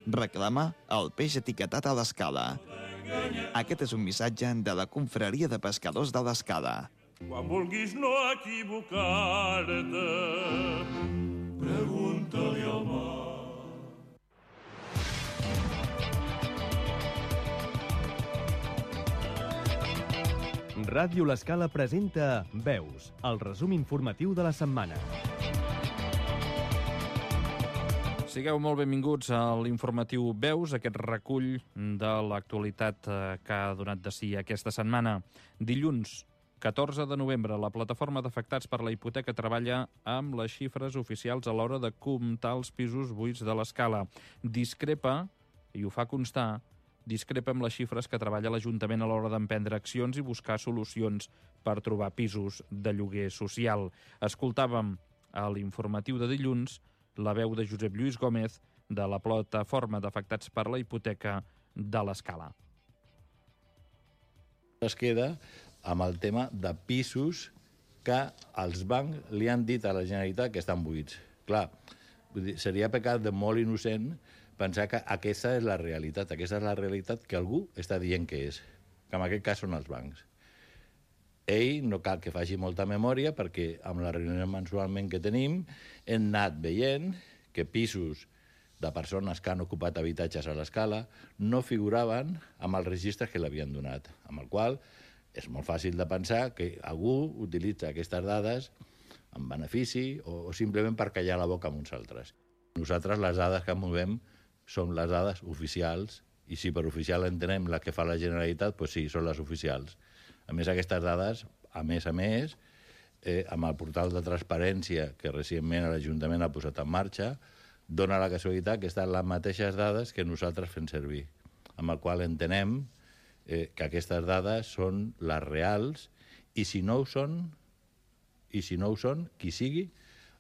Reclama el peix etiquetat a l'Escala. Aquest és un missatge de la Confraria de Pescadors de l'Escala. Quan vulguis no equivocar-te, pregunta-li al mar. Ràdio L'Escala presenta Veus, el resum informatiu de la setmana. Sigueu molt benvinguts a l'informatiu Veus, aquest recull de l'actualitat que ha donat de si aquesta setmana. Dilluns, 14 de novembre, la plataforma d'afectats per la hipoteca treballa amb les xifres oficials a l'hora de comptar els pisos buits de l'Escala. Discrepa, i ho fa constar, discrepa amb les xifres que treballa l'Ajuntament a l'hora d'emprendre accions i buscar solucions per trobar pisos de lloguer social. Escoltàvem a l'informatiu de dilluns la veu de Josep Lluís Gómez de la plataforma d'afectats per la hipoteca de l'Escala. Es queda amb el tema de pisos que els bancs li han dit a la Generalitat que estan buits. Clar, seria pecat de molt innocent pensar que aquesta és la realitat. Aquesta és la realitat que algú està dient que és, que en aquest cas són els bancs. Ell no cal que faci molta memòria perquè amb la reunió mensualment que tenim hem anat veient que pisos de persones que han ocupat habitatges a l'Escala no figuraven amb els registres que l'havien donat, amb el qual és molt fàcil de pensar que algú utilitza aquestes dades en benefici o simplement per callar la boca amb uns altres. Nosaltres les dades que movem són les dades oficials i si per oficial entenem la que fa la Generalitat, doncs sí, són les oficials. A més, aquestes dades, a més, amb el portal de transparència que recentment l'Ajuntament ha posat en marxa, dona la casualitat que estan les mateixes dades que nosaltres fem servir, amb el qual entenem que aquestes dades són les reals i si no ho són, qui sigui,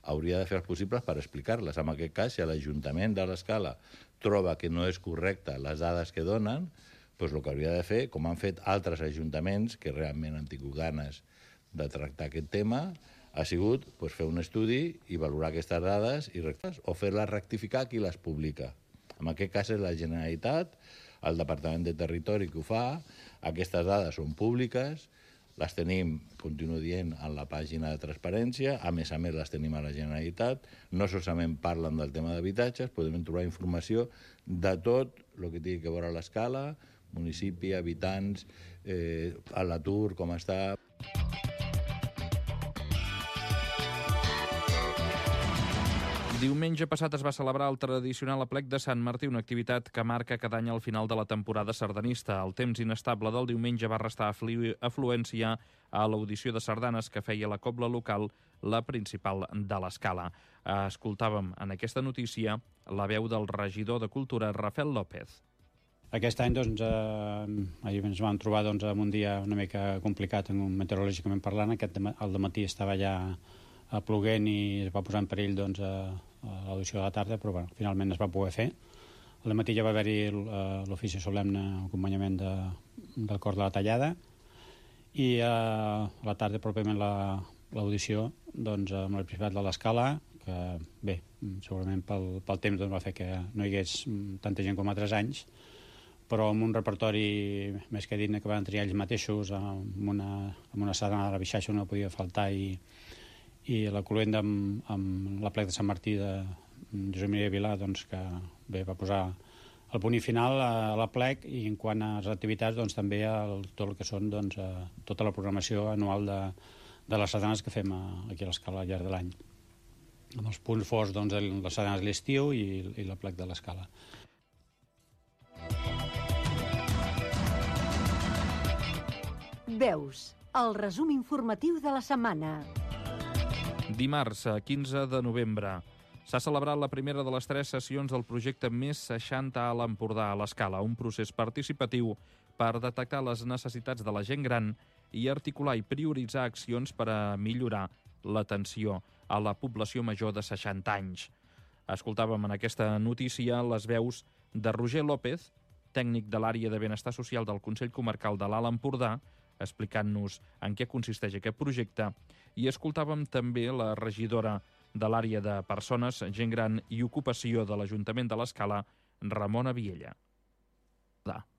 hauria de fer els possibles per explicar-les. En aquest cas, si l'Ajuntament de l'Escala troba que no és correcte les dades que donen, doncs el que hauria de fer, com han fet altres ajuntaments que realment han tingut ganes de tractar aquest tema, ha sigut fer un estudi i valorar aquestes dades o fer-les rectificar qui les publica. En aquest cas és la Generalitat, el Departament de Territori que ho fa, aquestes dades són públiques, les tenim, continuo dient, en la pàgina de transparència, a més les tenim a la Generalitat, no solament parlen del tema d'habitatges, podem trobar informació de tot el que tingui que veure a l'Escala, municipi, habitants, a l'atur, com està. Diumenge passat es va celebrar el tradicional aplec de Sant Martí, una activitat que marca cada any al final de la temporada sardanista. El temps inestable del diumenge va restar afluència a l'audició de sardanes que feia la cobla local, la principal de l'Escala. Escoltàvem en aquesta notícia la veu del regidor de Cultura, Rafael López. Aquest any ahir ens vam trobar amb un dia una mica complicat meteorològicament parlant. Al dematí estava ja ploguent i es va posar en perill a l'audició de la tarda, però finalment es va poder fer. Al dematí ja va haver-hi l'ofici solemne acompanyament del cor de la tallada i a la tarda pròpiament l'audició amb el Principat de l'Escala, que bé, segurament pel temps va fer que no hi hagués tanta gent com altres anys, però amb un repertori més que digne que van triar ells mateixos, amb una sardana de la Bixaixa no podia faltar i la cloenda amb l'aplec de Sant Martí de Josep Maria Vilà, que bé, va posar el punt final a l'aplec i en quant a les activitats també tot el que són tota la programació anual de les sardanes que fem aquí a l'Escala al llarg de l'any. Amb els punts forts les sardanes de l'estiu i l'aplec de l'Escala. Veus, el resum informatiu de la setmana. Dimarts, 15 de novembre, s'ha celebrat la primera de les 3 sessions del projecte Més 60 a l'Empordà a l'Escala, un procés participatiu per detectar les necessitats de la gent gran i articular i prioritzar accions per a millorar l'atenció a la població major de 60 anys. Escoltàvem en aquesta notícia les veus de Roger López, tècnic de l'àrea de benestar social del Consell Comarcal de l'Alt Empordà, explicant-nos en què consisteix aquest projecte, i escoltàvem també la regidora de l'àrea de persones, gent gran i ocupació de l'Ajuntament de l'Escala, Ramon Aviella.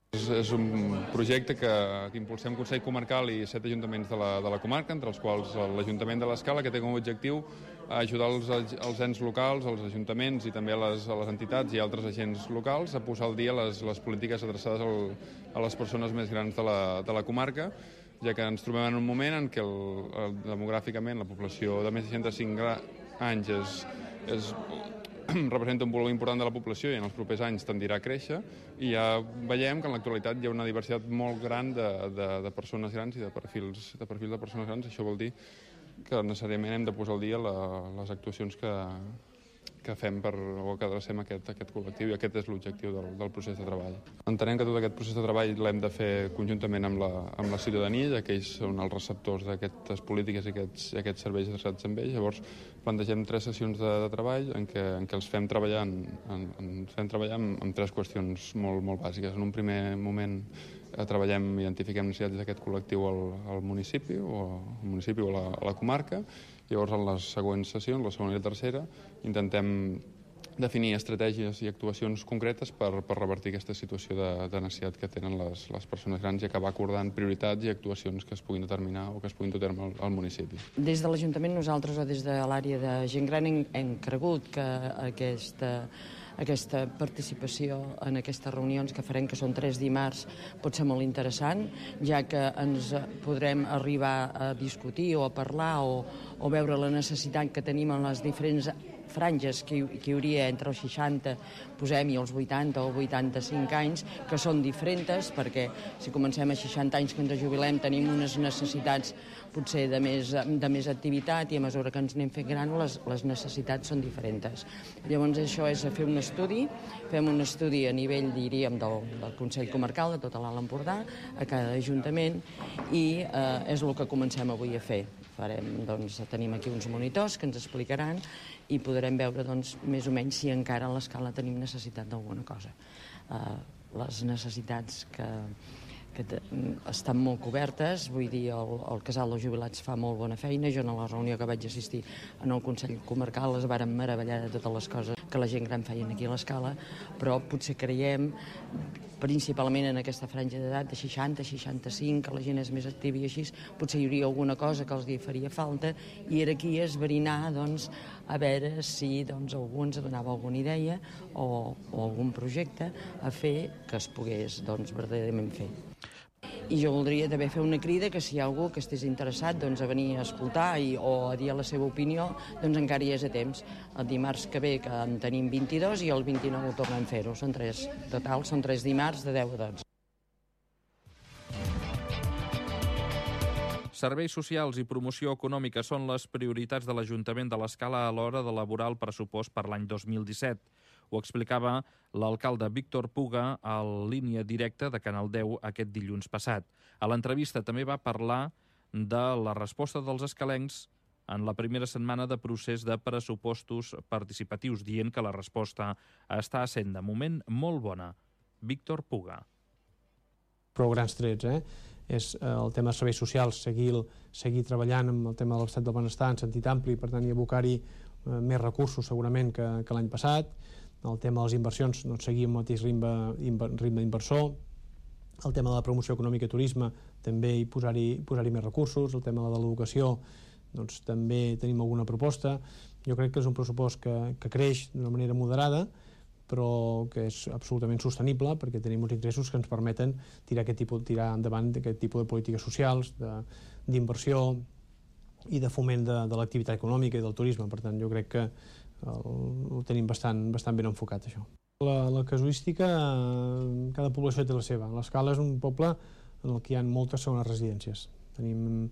És un projecte que impulsem Consell Comarcal i 7 ajuntaments de la comarca, entre els quals l'Ajuntament de l'Escala, que té com a objectiu ajudar els ens locals, els ajuntaments i també a les entitats i altres agents locals a posar al dia les polítiques adreçades a les persones més grans de la comarca, ja que ens trobem en un moment en què demogràficament la població de més de 65 anys representa un volum important de la població i en els propers anys tendirà a créixer, i ja veiem que en l'actualitat hi ha una diversitat molt gran de persones grans i de perfils de persones grans. Això vol dir que necessàriament hem de posar al dia les actuacions que fem o que adrecem a aquest col·lectiu, i aquest és l'objectiu del procés de treball. Entenem que tot aquest procés de treball l'hem de fer conjuntament amb la ciutadania, ja que ells són els receptors d'aquestes polítiques i aquests serveis adreçats amb ells. Llavors plantegem 3 sessions de treball en què els fem treballar amb 3 qüestions molt bàsiques. En un primer moment identifiquem necessitats d'aquest col·lectiu al municipi o a la comarca. Llavors, en les següents sessions, la segona i la tercera, intentem definir estratègies i actuacions concretes per revertir aquesta situació de necessitat que tenen les persones grans i acabar acordant prioritats i actuacions que es puguin determinar o que es puguin dur a terme al municipi. Des de l'Ajuntament, nosaltres, o des de l'àrea de gent gran, hem cregut que aquesta participació en aquestes reunions que farem, que són 3 dimarts, pot ser molt interessant, ja que ens podrem arribar a discutir o a parlar o veure la necessitat que tenim en les diferents franges que hi hauria entre els 60, posem-hi els 80 o 85 anys, que són diferents, perquè si comencem a 60 anys que ens jubilem tenim unes necessitats potser de més activitat, i a mesura que ens anem fent gran les necessitats són diferents. Llavors això és fer un estudi, fem un estudi a nivell, diríem, del Consell Comarcal de tota l'Alt Empordà, a cada ajuntament, i és el que comencem avui a fer. Tenim aquí uns monitors que ens explicaran i podrem veure més o menys si encara a l'Escala tenim necessitat d'alguna cosa. Les necessitats que estan molt cobertes, vull dir, el casal de jubilats fa molt bona feina. Jo en la reunió que vaig assistir en el Consell Comarcal es varen meravellar de totes les coses que la gent gran feien aquí a l'Escala, però potser creiem, principalment en aquesta franja d'edat de 60, 65, que la gent és més activa i així, potser hi hauria alguna cosa que els hi faria falta, i era aquí esbrinar, a veure si algú ens donava alguna idea o algun projecte a fer que es pogués verdaderament fer. I jo voldria també fer una crida que si hi ha algú que estés interessat a venir a escoltar o a dir la seva opinió, encara hi és a temps. El dimarts que ve, que en tenim 22, i el 29 ho tornem a fer-ho. Són 3 dimarts de 10 a 12. Serveis socials i promoció econòmica són les prioritats de l'Ajuntament de l'Escala a l'hora d'elaborar el pressupost per l'any 2017. Ho explicava l'alcalde Víctor Puga a línia directa de Canal 10 aquest dilluns passat. A l'entrevista també va parlar de la resposta dels escalencs en la primera setmana de procés de pressupostos participatius, dient que la resposta està sent de moment molt bona. Víctor Puga. Prou grans trets, és el tema de serveis socials, seguir treballant amb el tema de l'estat del benestar en sentit ampli, per tant, i abocar-hi més recursos segurament que l'any passat. El tema de les inversions, seguir amb el mateix ritme d'inversor. El tema de la promoció econòmica i turisme, també posar-hi més recursos. El tema de l'educació, també tenim alguna proposta. Jo crec que és un pressupost que creix d'una manera moderada, però que és absolutament sostenible, perquè tenim uns ingressos que ens permeten tirar endavant aquest tipus de polítiques socials, d'inversió i de foment de l'activitat econòmica i del turisme. Per tant, jo crec que ho tenim bastant ben enfocat, això. La casuística, cada població té la seva. L'Escala és un poble en el que hi ha moltes segones residències. Tenim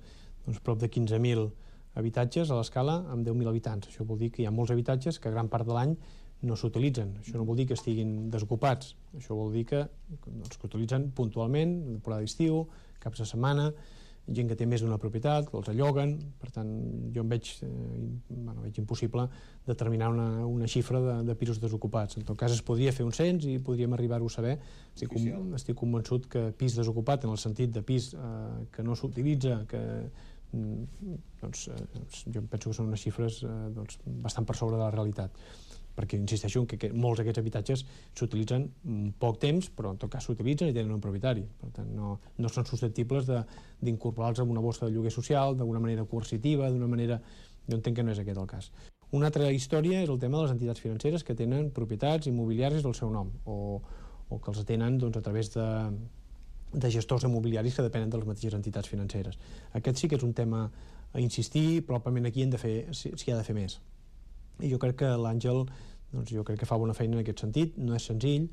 prop de 15.000 habitatges a l'Escala amb 10.000 habitants. Això vol dir que hi ha molts habitatges que gran part de l'any no s'utilitzen. Això no vol dir que estiguin desocupats. Això vol dir que utilitzen puntualment, en temporada d'estiu, caps de setmana, gent que té més d'una propietat, que els alloguen. Per tant, jo em veig impossible determinar una xifra de pisos desocupats. En tot cas, es podria fer un cens i podríem arribar-ho a saber. Estic convençut que pis desocupat, en el sentit de pis que no s'utilitza, jo penso que són unes xifres bastant per sobre de la realitat. perquè insisteixo que molts d'aquests habitatges s'utilitzen poc temps, però en tot cas s'utilitzen i tenen un propietari. Per tant, no són susceptibles d'incorporar-los en una bossa de lloguer social d'una manera coercitiva, d'una manera... Jo entenc que no és aquest el cas. Una altra història és el tema de les entitats financeres que tenen propietats immobiliàries del seu nom o que els tenen a través de gestors immobiliaris que depenen de les mateixes entitats financeres. Aquest sí que és un tema a insistir, probablement aquí s'hi ha de fer més. I jo crec que l'Àngel jo crec que fa bona feina en aquest sentit, no és senzill,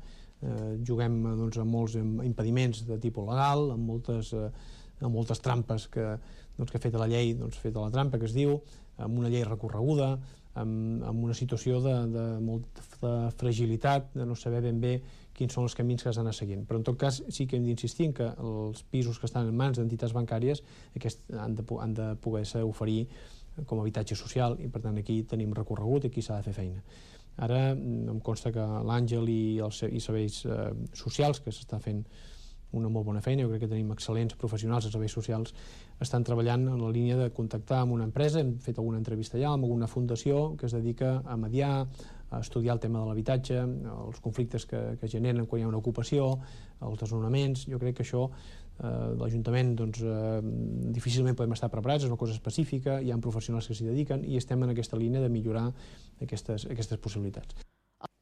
juguem amb molts impediments de tipus legal, amb moltes trampes que ha fet la llei, feta la trampa que es diu, amb una llei recorreguda, amb una situació de molta fragilitat, de no saber ben bé quins són els camins que s'han d'anar seguint. Però en tot cas sí que hem d'insistir en que els pisos que estan en mans d'entitats bancàries han de poder-se oferir com a habitatge social i per tant aquí tenim recorregut i aquí s'ha de fer feina. Ara em consta que l'Àngel i serveis socials, que s'està fent una molt bona feina, jo crec que tenim excel·lents professionals de serveis socials, estan treballant en la línia de contactar amb una empresa, hem fet alguna entrevista allà, amb alguna fundació que es dedica a mediar, a estudiar el tema de l'habitatge, els conflictes que generen quan hi ha una ocupació, els desnonaments. Jo crec que això l'Ajuntament difícilment podem estar preparats, és una cosa específica, hi ha professionals que s'hi dediquen i estem en aquesta línia de millorar aquestes possibilitats.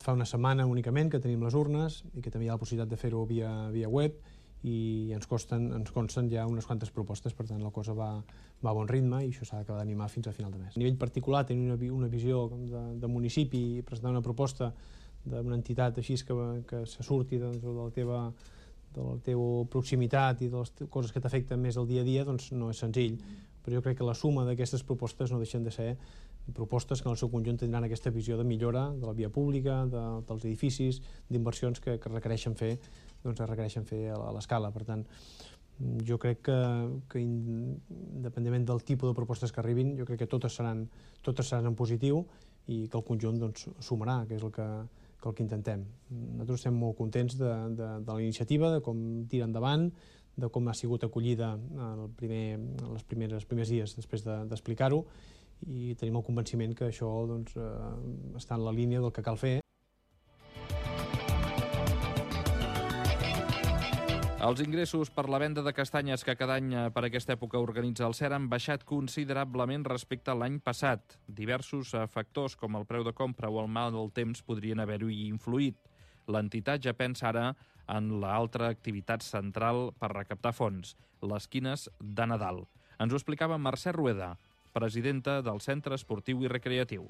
Fa una setmana únicament que tenim les urnes i que també hi ha la possibilitat de fer-ho via web i ens consten ja unes quantes propostes, per tant la cosa va a bon ritme i això s'ha d'acabar d'animar fins a final de mes. A nivell particular, tenir una visió de municipi i presentar una proposta d'una entitat així que se surti de la teva proximitat i de les coses que t'afecten més el dia a dia, doncs no és senzill. Però jo crec que la suma d'aquestes propostes no deixen de ser propostes que en el seu conjunt tindran aquesta visió de millora de la via pública, dels edificis, d'inversions que requereixen fer a l'escala. Per tant, jo crec que independentment del tipus de propostes que arribin, jo crec que totes seran en positiu i que el conjunt sumarà, que és el que intentem. Nosaltres estem molt contents de la iniciativa, de com tira endavant, de com ha sigut acollida els primers dies després d'explicar-ho i tenim el convenciment que això està en la línia del que cal fer. Els ingressos per la venda de castanyes que cada any per aquesta època organitza el SER han baixat considerablement respecte a l'any passat. Diversos factors, com el preu de compra o el mal del temps, podrien haver-hi influït. L'entitat ja pensa ara en l'altra activitat central per recaptar fons, les quines de Nadal. Ens ho explicava Mercè Rueda, presidenta del Centre Esportiu i Recreatiu.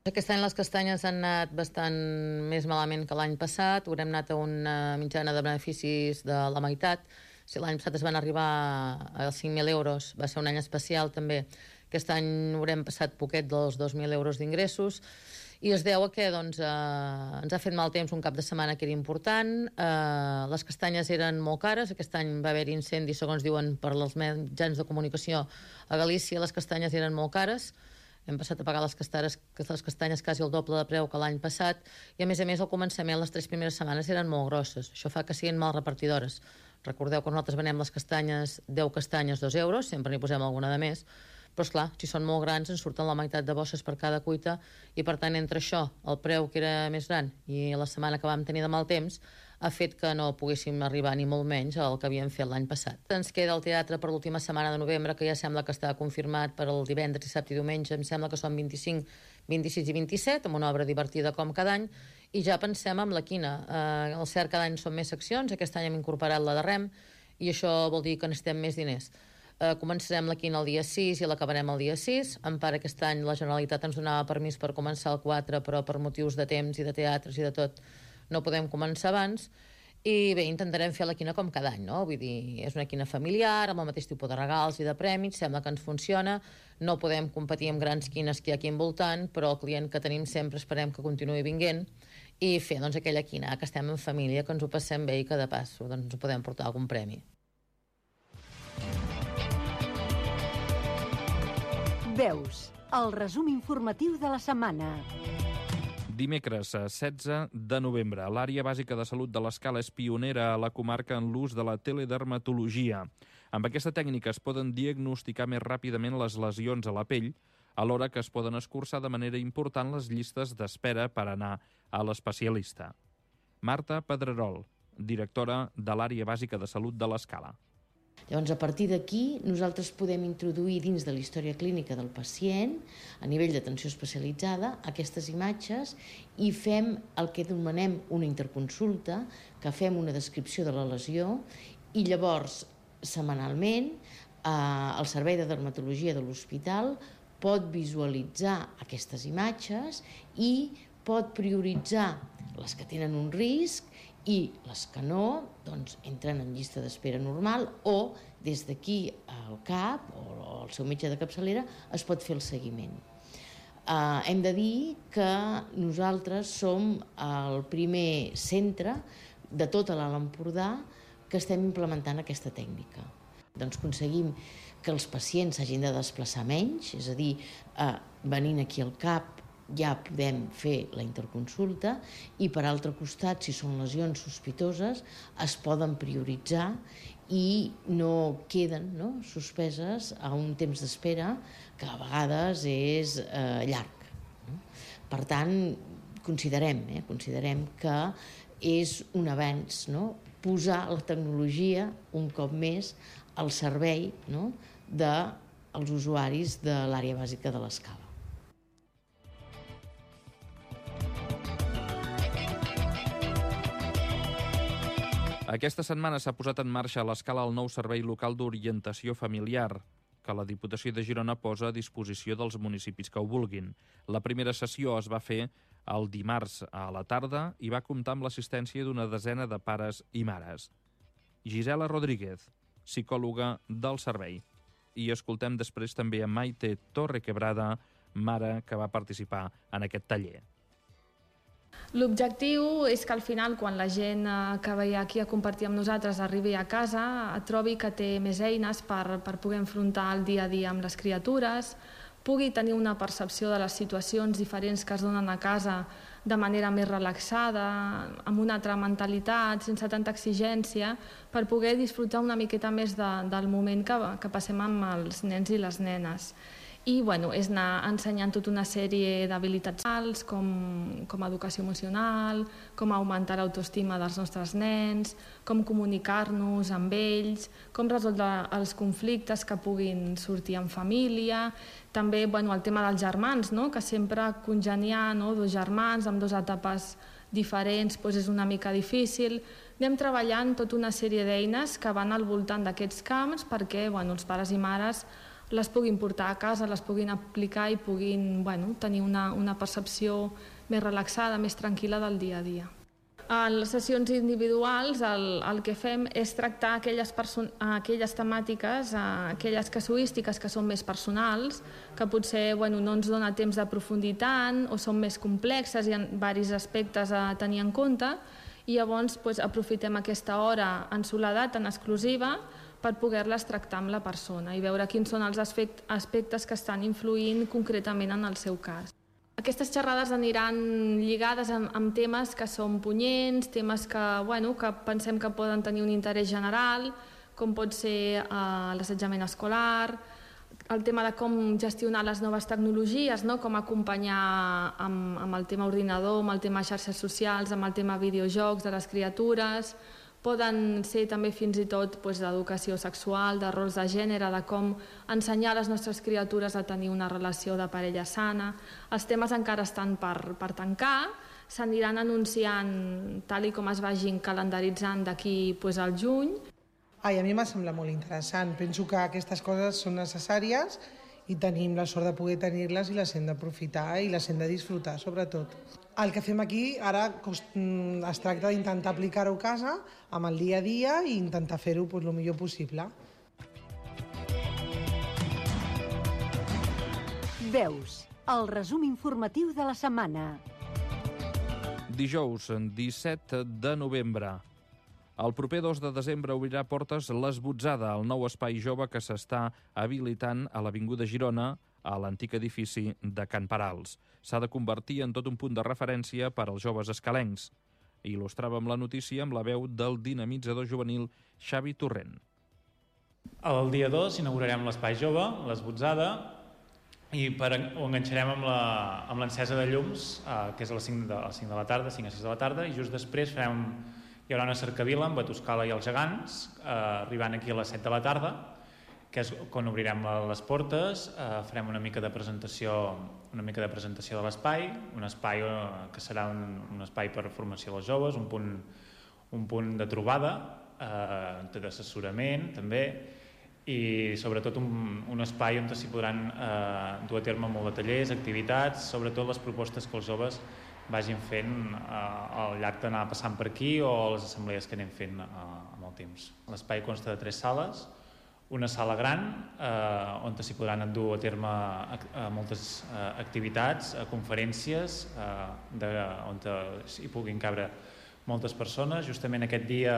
Aquest any les castanyes han anat bastant més malament que l'any passat. Haurem anat a una mitjana de beneficis de la meitat. Si l'any passat es van arribar a 5.000 euros, va ser un any especial també. Aquest any haurem passat poquet dels 2.000 euros d'ingressos i es deu a que ens ha fet mal temps un cap de setmana que era important. Les castanyes eren molt cares. Aquest any va haver incendis, segons diuen per als mitjans de comunicació a Galícia. Les castanyes eren molt cares. Hem passat a pagar les castanyes quasi el doble de preu que l'any passat i, a més, al començament, les 3 primeres setmanes eren molt grosses. Això fa que siguin mal repartidores. Recordeu que nosaltres venem les castanyes, 10 castanyes, 2 euros, sempre n'hi posem alguna de més, però, esclar, si són molt grans, ens surten la meitat de bosses per cada cuita i, per tant, entre això, el preu que era més gran i la setmana que vam tenir de mal temps, ha fet que no poguéssim arribar ni molt menys al que havíem fet l'any passat. Ens queda el teatre per l'última setmana de novembre, que ja sembla que està confirmat per el divendres, dissabte i diumenge. Em sembla que són 25, 26 i 27, amb una obra divertida com cada any, i ja pensem amb la quina. El CER cada any són més seccions, aquest any hem incorporat la de REM, i això vol dir que necessitem més diners. Començarem la quina el dia 6 i l'acabarem el dia 6. En part, aquest any la Generalitat ens donava permís per començar el 4, però per motius de temps i de teatres i de tot no podem començar abans. I bé, intentarem fer la quina com cada any, no? Vull dir, és una quina familiar, amb el mateix tipus de regals i de prèmits, sembla que ens funciona. No podem competir amb grans quines que hi ha aquí envoltant, però el client que tenim sempre esperem que continuï vinguent i fer aquella quina, que estem en família, que ens ho passem bé i que de pas ens podem portar algun premi. Veus, el resum informatiu de la setmana. Dimecres 16 de novembre, l'àrea bàsica de salut de l'Escala és pionera a la comarca en l'ús de la teledermatologia. Amb aquesta tècnica es poden diagnosticar més ràpidament les lesions a la pell, alhora que es poden escurçar de manera important les llistes d'espera per anar a l'especialista. Marta Pedrerol, directora de l'Àrea Bàsica de Salut de l'Escala. Llavors, a partir d'aquí, nosaltres podem introduir dins de la història clínica del pacient, a nivell d'atenció especialitzada, aquestes imatges i fem el que anomenem una interconsulta, que fem una descripció de la lesió i llavors, setmanalment, el Servei de Dermatologia de l'Hospital pot visualitzar aquestes imatges i pot prioritzar les que tenen un risc i les que no, doncs, entren en llista d'espera normal o des d'aquí al CAP o al seu metge de capçalera es pot fer el seguiment. Hem de dir que nosaltres som el primer centre de tota l'Alt Empordà que estem implementant aquesta tècnica. Doncs aconseguim que els pacients s'hagin de desplaçar menys, és a dir, venint aquí al CAP ja podem fer la interconsulta i, per altre costat, si són lesions sospitoses, es poden prioritzar i no queden suspeses a un temps d'espera que a vegades és llarg. Per tant, considerem que és un avenç posar la tecnologia un cop més al servei dels usuaris de l'àrea bàsica de l'Escala. Aquesta setmana s'ha posat en marxa a l'Escala el nou servei local d'orientació familiar, que la Diputació de Girona posa a disposició dels municipis que ho vulguin. La primera sessió es va fer el dimarts a la tarda i va comptar amb l'assistència d'una desena de pares i mares. Gisela Rodríguez, psicòloga del servei. I escoltem després també a Maite Torrequebrada, mare que va participar en aquest taller. L'objectiu és que al final, quan la gent que ve aquí a compartir amb nosaltres arribi a casa, trobi que té més eines per poder enfrontar el dia a dia amb les criatures, pugui tenir una percepció de les situacions diferents que es donen a casa de manera més relaxada, amb una altra mentalitat, sense tanta exigència, per poder disfrutar una miqueta més del moment que passem amb els nens i les nenes. I és anar ensenyant tota una sèrie d'habilitats socials, com educació emocional, com augmentar l'autoestima dels nostres nens, com comunicar-nos amb ells, com resoldre els conflictes que puguin sortir en família, també el tema dels germans, que sempre congeniar dos germans amb dues etapes diferents és una mica difícil. Anem treballant tota una sèrie d'eines que van al voltant d'aquests camps perquè els pares i mares les puguin portar a casa, les puguin aplicar i puguin tenir una percepció més relaxada, més tranquil·la del dia a dia. En les sessions individuals el que fem és tractar aquelles temàtiques, aquelles casuístiques que són més personals, que potser no ens dona temps d'aprofundir tant o són més complexes i hi ha diversos aspectes a tenir en compte, i llavors aprofitem aquesta hora en soledat, en exclusiva, per poder-les tractar amb la persona i veure quins són els aspectes que estan influint concretament en el seu cas. Aquestes xerrades aniran lligades amb temes que són punyents, temes que pensem que poden tenir un interès general, com pot ser l'assetjament escolar, el tema de com gestionar les noves tecnologies, com acompanyar amb el tema ordinador, amb el tema xarxes socials, amb el tema videojocs de les criatures. Poden ser també fins i tot d'educació sexual, de rols de gènere, de com ensenyar a les nostres criatures a tenir una relació de parella sana. Els temes encara estan per tancar, s'aniran anunciant tal com es vagin calendaritzant d'aquí al juny. A mi m'ha semblat molt interessant. Penso que aquestes coses són necessàries i tenim la sort de poder tenir-les i les hem d'aprofitar i les hem de disfrutar, sobretot. El que fem aquí ara es tracta d'intentar aplicar-ho a casa amb el dia a dia i intentar fer-ho el millor possible. Veus, el resum informatiu de la setmana. Dijous, 17 de novembre. El proper 2 de desembre obrirà portes l'Esbotzada, el nou espai jove que s'està habilitant a l'Avinguda Girona, a l'antic edifici de Can Parals. S'ha de convertir en tot un punt de referència per als joves escalencs. Il·lustràvem la notícia amb la veu del dinamitzador juvenil Xavi Torrent. El dia 2 inaugurarem l'espai jove, l'Esbotzada, i ho enganxarem amb l'encesa de llums, que és a les 5 de la tarda, 5 a 6 de la tarda, i just després hi haurà una cercavila amb Batuscala i els gegants, arribant aquí a les 7 de la tarda, que és quan obrirem les portes, farem una mica de presentació de l'espai, un espai que serà un espai per formació dels joves, un punt de trobada, d'assessorament també, i sobretot un espai on s'hi podran dur a terme molt de tallers, activitats, sobretot les propostes que els joves vagin fent al llarg d'anar passant per aquí o les assemblees que anem fent amb el temps. L'espai consta de 3 sales, una sala gran on s'hi podran dur a terme moltes activitats, conferències on hi puguin cabre moltes persones. Justament aquest dia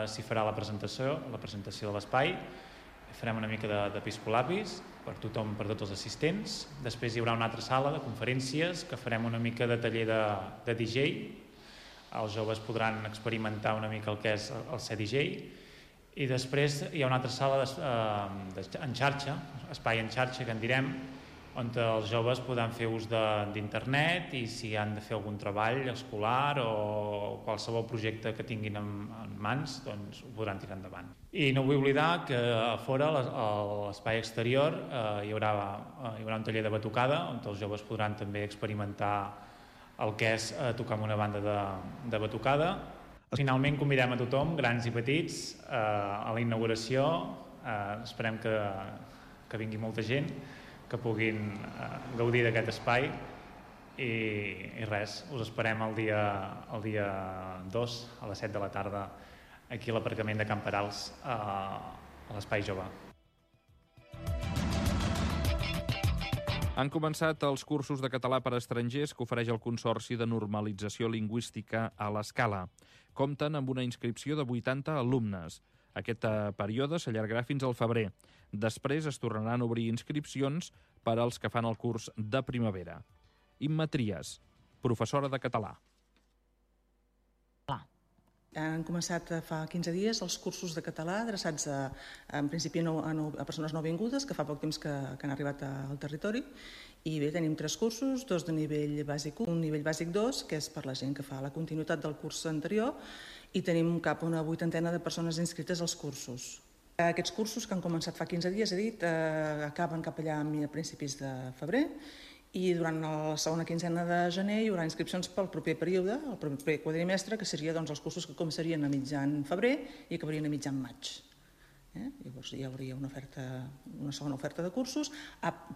s'hi farà la presentació de l'espai. Farem una mica d'episcolapis per tothom, per tots els assistents. Després hi haurà una altra sala de conferències que farem una mica de taller de DJ. Els joves podran experimentar una mica el que és el ser DJ. I després hi ha una altra sala en xarxa, espai en xarxa que en direm, on els joves podran fer ús d'internet i si han de fer algun treball escolar o qualsevol projecte que tinguin en mans, doncs ho podran tirar endavant. I no vull oblidar que a fora, a l'espai exterior, hi haurà un taller de batucada on els joves podran també experimentar el que és tocar amb una banda de batucada. Finalment convidem a tothom, grans i petits, a la inauguració. Esperem que vingui molta gent, que puguin gaudir d'aquest espai i res, us esperem el dia 2 a les 7 de la tarda aquí a l'aparcament de Can Perals a l'Espai Jove. Han començat els cursos de català per a estrangers que ofereix el Consorci de Normalització Lingüística a l'Escala. Compten amb una inscripció de 80 alumnes. Aquest període s'allargarà fins al febrer. Després es tornaran a obrir inscripcions per als que fan el curs de primavera. Imma Trias, professora de català. Han començat fa 15 dies els cursos de català adreçats en principi a persones nouvingudes que fa poc temps que han arribat al territori. I bé, tenim 3 cursos, 2 de nivell bàsic 1, un nivell bàsic 2, que és per la gent que fa la continuïtat del curs anterior, i tenim cap a una 80ena de persones inscrites als cursos. Aquests cursos que han començat fa 15 dies, he dit, acaben cap allà a principis de febrer, i durant la segona quinzena de gener hi haurà inscripcions pel proper període, el proper quadrimestre, que seria els cursos que començarien a mitjan febrer i acabarien a mitjan maig. Llavors hi hauria una segona oferta de cursos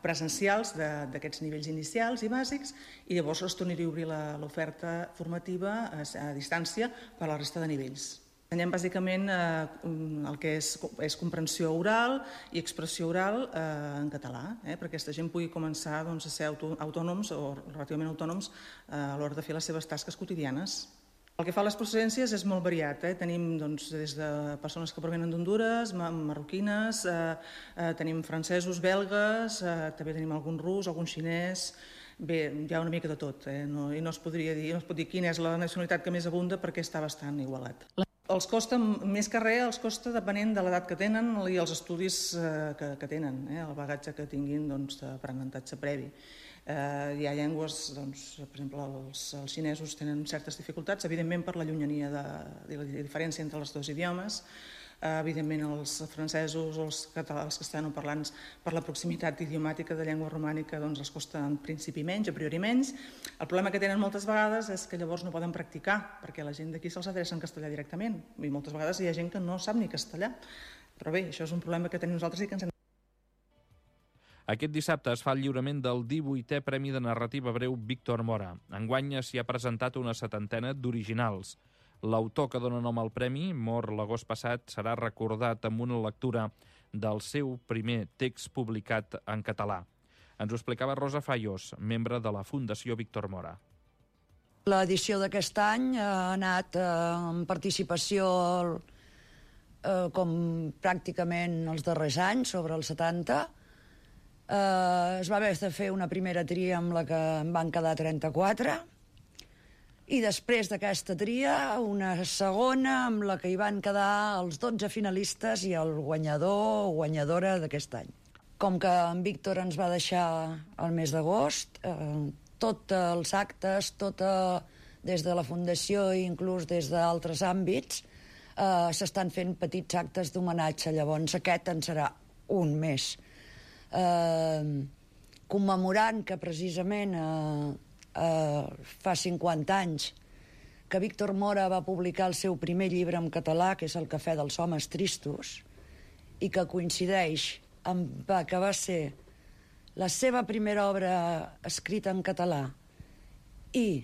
presencials d'aquests nivells inicials i bàsics, i llavors es tornaria a obrir l'oferta formativa a distància per a la resta de nivells. Ensenyem bàsicament el que és comprensió oral i expressió oral en català, perquè aquesta gent pugui començar a ser autònoms o relativament autònoms a l'hora de fer les seves tasques quotidianes. El que fa a les procedències és molt variat. Tenim des de persones que provenen d'Hondures, marroquines, tenim francesos, belgues, també tenim algun rus, algun xinès. Bé, hi ha una mica de tot, i no es pot dir quina és la nacionalitat que més abunda perquè està bastant igualat. Els costa, més que res, els costa depenent de l'edat que tenen i els estudis que tenen, el bagatge que tinguin d'aprenentatge previ. Hi ha llengües, per exemple, els xinesos tenen certes dificultats, evidentment per la llunyania i la diferència entre els dos idiomes. Evidentment els francesos o els castellanoparlants per la proximitat idiomàtica de llengua romànica els costa en principi menys, a priori menys. El problema que tenen moltes vegades és que llavors no poden practicar perquè la gent d'aquí se'ls adreça en castellà directament i moltes vegades hi ha gent que no sap ni castellà. Però bé, això és un problema que tenim nosaltres i que ens hem... Aquest dissabte es fa el lliurament del 18è Premi de Narrativa Breu Víctor Mora. Enguany s'hi ha presentat una 70ena d'originals. L'autor que dona nom al premi, mort l'agost passat, serà recordat amb una lectura del seu primer text publicat en català. Ens ho explicava Rosa Fallos, membre de la Fundació Víctor Mora. L'edició d'aquest any ha anat en participació com pràcticament els darrers anys, sobre els 70. Es va haver de fer una primera tria amb la que en van quedar 34, i després d'aquesta tria una segona amb la que hi van quedar els 12 finalistes i el guanyador o guanyadora d'aquest any. com que en Víctor ens va deixar el mes d'agost, tots els actes, des de la Fundació i inclús des d'altres àmbits, s'estan fent petits actes d'homenatge. Llavors aquest en serà un més. Commemorant que precisament fa 50 anys que Víctor Mora va publicar el seu primer llibre en català, que és El cafè dels homes tristos, i que coincideix amb que va ser la seva primera obra escrita en català i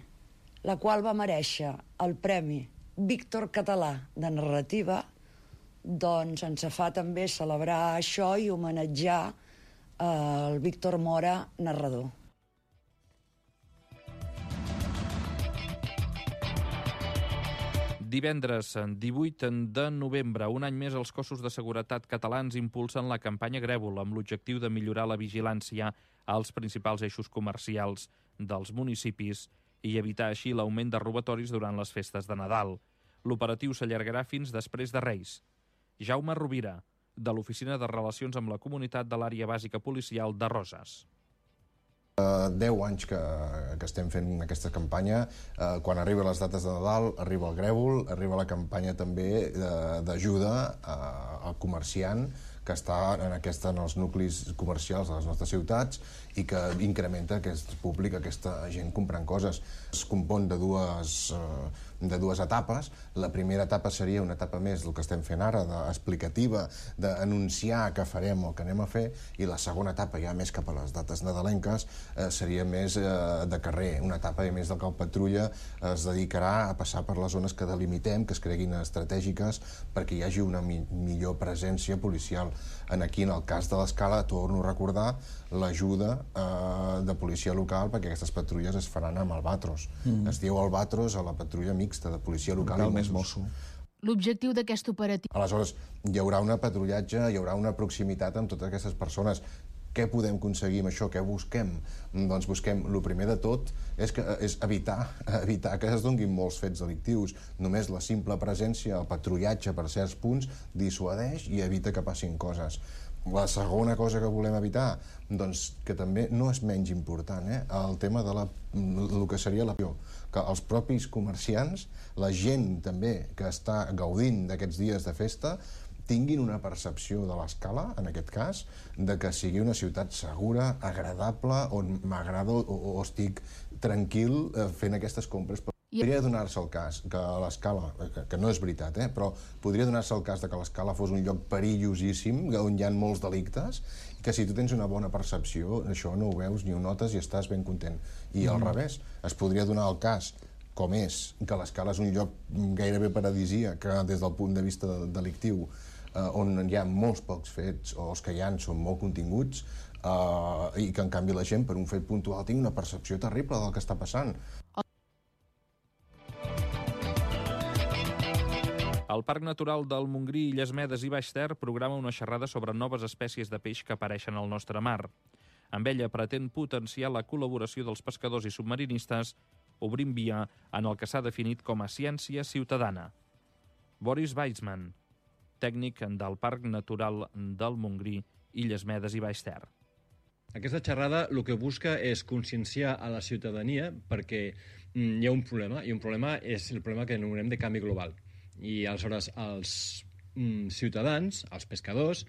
la qual va merèixer el Premi Víctor Català de Narrativa, doncs ens fa també celebrar això i homenatjar el Víctor Mora, narrador. Divendres 18 de novembre, un any més, els cossos de seguretat catalans impulsen la campanya Grèvol amb l'objectiu de millorar la vigilància als principals eixos comercials dels municipis i evitar així l'augment de robatoris durant les festes de Nadal. L'operatiu s'allargarà fins després de Reis. Jaume Rovira, de l'Oficina de Relacions amb la Comunitat de l'Àrea Bàsica Policial de Roses. 10 anys que estem fent aquesta campanya. Quan arriben les dates de Nadal, arriba el Grèvol, arriba la campanya també d'ajuda al comerciant que està en els nuclis comercials de les nostres ciutats i que incrementa aquest públic, aquesta gent comprant coses. Es compon de dues etapes. La primera etapa seria una etapa més del que estem fent ara, explicativa, d'anunciar què farem o què anem a fer, i la segona etapa, ja més cap a les dates nadalenques, seria més de carrer, una etapa més del que el patrulla es dedicarà a passar per les zones que delimitem, que es creguin estratègiques, perquè hi hagi una millor presència policial. Aquí, en el cas de l'Escala, torno a recordar l'ajuda de policia local, perquè aquestes patrulles es faran amb Albatros. Es diu Albatros a la patrulla mixta de policia local i Mossos. L'objectiu d'aquest operatiu... Aleshores, hi haurà un patrullatge, hi haurà una proximitat amb totes aquestes persones. Què podem aconseguir amb això? Què busquem? Doncs busquem, el primer de tot, és evitar que es donguin molts fets delictius. Només la simple presència, el patrullatge per certs punts, dissuadeix i evita que passin coses. La segona cosa que volem evitar, doncs, que també no és menys important, el tema de el que seria que els propis comerciants, la gent també que està gaudint d'aquests dies de festa, tinguin una percepció de l'Escala, en aquest cas, de que sigui una ciutat segura, agradable, on m'agrada o estic tranquil fent aquestes compres. Podria donar-se el cas que l'Escala, que no és veritat, però podria donar-se el cas que l'Escala fos un lloc perillosíssim, on hi ha molts delictes, i que si tu tens una bona percepció, això no ho veus ni ho notes i estàs ben content. I al revés, es podria donar el cas, com és, que l'Escala és un lloc gairebé paradisíac des del punt de vista delictiu, on hi ha molts pocs fets, o els que hi ha són molt continguts, i que en canvi la gent per un fet puntual tingui una percepció terrible del que està passant. El Parc Natural del Montgrí, Illes Medes i Baix Ter programa una xerrada sobre noves espècies de peix que apareixen al nostre mar. Amb ella pretén potenciar la col·laboració dels pescadors i submarinistes, obrint via en el que s'ha definit com a ciència ciutadana. Boris Weissman, tècnic del Parc Natural del Montgrí, Illes Medes i Baix Ter. Aquesta xerrada el que busca és conscienciar a la ciutadania perquè hi ha un problema, i un problema és el problema que anomenem de canvi global. I aleshores els ciutadans, els pescadors,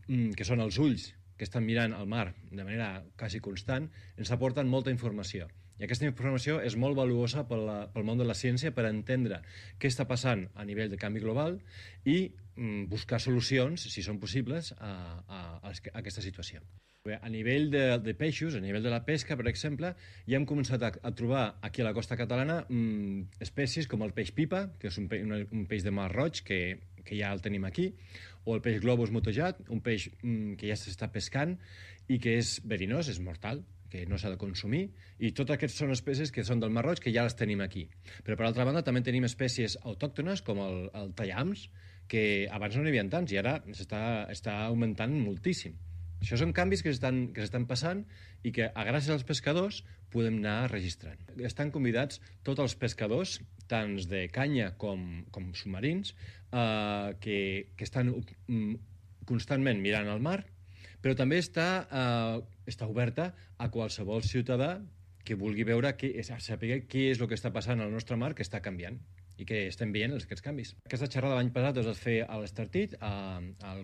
que són els ulls que estan mirant el mar de manera quasi constant, ens aporten molta informació. I aquesta informació és molt valuosa pel món de la ciència per entendre què està passant a nivell de canvi global i buscar solucions, si són possibles, a aquesta situació. A nivell de peixos, a nivell de la pesca, per exemple, ja hem començat a trobar aquí a la costa catalana espècies com el peix pipa, que és un peix de mar roig, que ja el tenim aquí, o el peix globus motejat, un peix que ja s'està pescant i que és verinós, és mortal, que no s'ha de consumir, i tots aquests són espècies que són del Mar Roig, que ja les tenim aquí. Però, per altra banda, també tenim espècies autòctones, com el tallams, que abans no n'hi havia tants, i ara està augmentant moltíssim. Això són canvis que s'estan passant i que, gràcies als pescadors, podem anar registrant. Estan convidats tots els pescadors, tant de canya com submarins, que estan constantment mirant al mar però també està oberta a qualsevol ciutadà que vulgui veure, saber què és el que està passant al nostre mar, que està canviant i que estem veient aquests canvis. Aquesta xerrada l'any passat es va fer a l'Estartit, al